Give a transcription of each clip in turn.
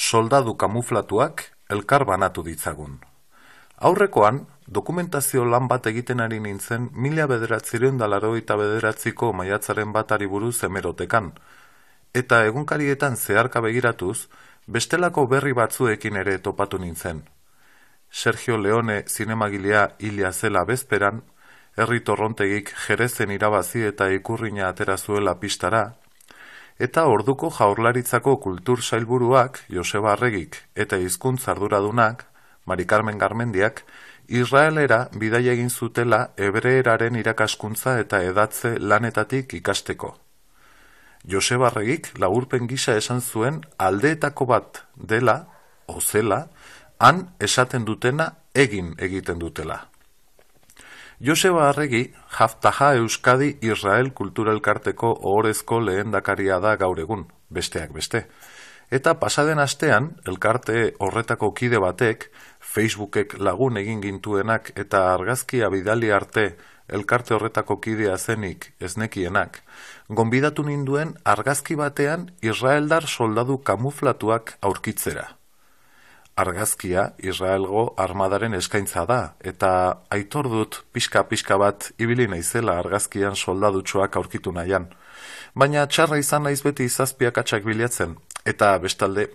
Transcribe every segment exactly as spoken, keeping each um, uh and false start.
soldadu kamuflatuak elkar banatu ditzagun. Aurrekoan, dokumentazio lan bat egiten ari nintzen mila bederatziehun eta laurogeita bederatziko maiatzaren batari buruz hemerotekan, eta egunkarietan zeharka begiratuz, bestelako berri batzuekin ere topatu nintzen. Sergio Leone zinemagilea hilia zela bezperan, herri torrontegik Jerezen irabazi eta ikurrina atera zuela pistara, eta orduko Jaurlaritzako kultur sailburuak Joseba Arregik eta hizkuntza arduradunak, Mari Carmen Garmendiak, Israelera bidaia egin zutela hebreeraren irakaskuntza eta edatze lanetatik ikasteko. Joseba Arregik laburpen gisa esan zuen aldeetako bat dela, o zela, han esaten dutena egin egiten dutela. Joseba Arregi, Haftaha Euskadi Israel Kulturelkarteko ohorezko lehendakaria da gaur egun, besteak beste. Eta pasaden astean, elkarte horretako kide batek, Facebookek lagun egin gintuenak eta argazkia bidali arte elkarte horretako kidea zenik eznekienak, gonbidatu ninduen argazki batean Israeldar soldadu kamuflatuak aurkitzera. Argazkia Israelgo armadaren eskaintza da, eta aitor dut pixka-pixka bat ibili naizela argazkian soldadutxoak aurkitu nahian. Baina txarra izan naiz beti zazpiak atxak bilatzen, eta bestalde,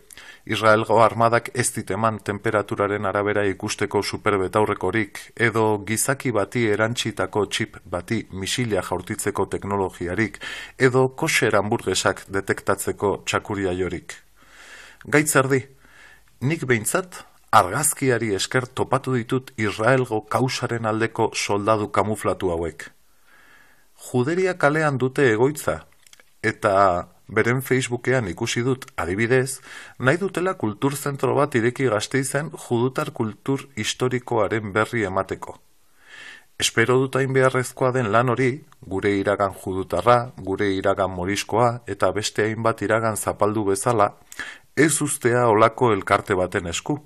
Israelgo armadak ez diteman temperaturaren arabera ikusteko superbetaurrekorik, edo gizaki bati erantsitako txip bati misilia jaurtitzeko teknologiarik, edo kosher hamburgesak detektatzeko txakuriaiorik. Gaitzerdi, nik behintzat, argazkiari esker topatu ditut Israelgo kausaren aldeko soldadu kamuflatu hauek. Juderia kalean dute egoitza, eta beren Facebookean ikusi dut, adibidez, nahi dutela kulturzentro bat ireki Gasteizen judutar kultur historikoaren berri emateko. Espero dut hain beharrezkoa den lan hori, gure iragan judutarra, gure iragan moriskoa eta beste hainbat iragan zapaldu bezala, ez ustea olako elkarte baten esku.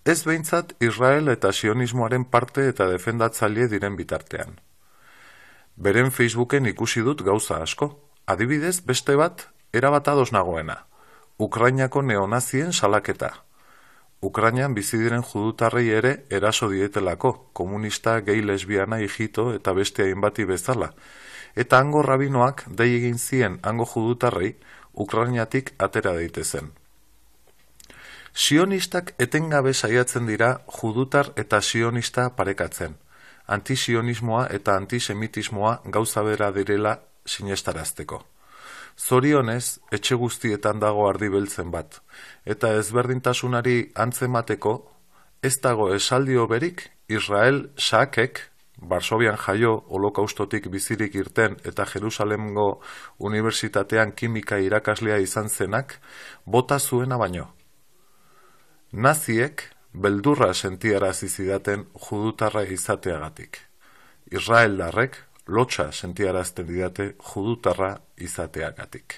Ez behintzat Israel eta sionismoaren parte eta defendatzaile diren bitartean. Beren Facebooken ikusi dut gauza asko. Adibidez, beste bat, erabat ados nagoena. Ukrainako neonazien salaketa. Ukrainan bizi diren judutarrei ere eraso dietelako, komunista, gay, lesbiana, hijito eta beste hainbati bezala. Eta hango rabinoak dei egin zien hango judutarrei Ukrainatik atera daitezen. Sionistak etengabe saiatzen dira judutar eta sionista parekatzen. Antisionismoa eta antisemitismoa gauza bera direla sinestarazteko. Zorionez, etxe guztietan dago ardi beltzen bat, eta ezberdintasunari antzemateko, ez dago esaldi hoberik Israel Shaakek, Varsovian jaio holokaustotik bizirik irten eta Jerusalemgo Unibertsitatean kimika irakaslea izan zenak, bota zuena baino. Naziek beldurra sentiarazi zidaten judutarra izateagatik. Israeldarrek lotsa sentiarazten didate judutarra izateagatik.